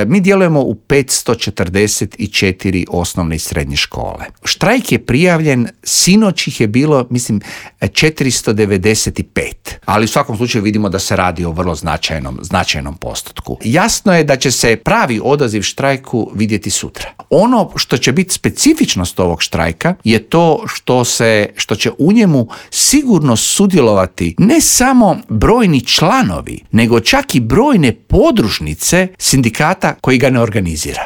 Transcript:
Mi djelujemo u 544 osnovne i srednje škole. Štrajk je prijavljen, sinoć ih je bilo, mislim, 495. Ali u svakom slučaju vidimo da se radi o vrlo značajnom postotku. Jasno je da će se pravi odaziv štrajku vidjeti sutra. Ono što će biti specifičnost ovog štrajka je to što će u njemu sigurno sudjelovati ne samo brojni članovi, nego čak i brojne podružnice sindikata koji ga ne organizira.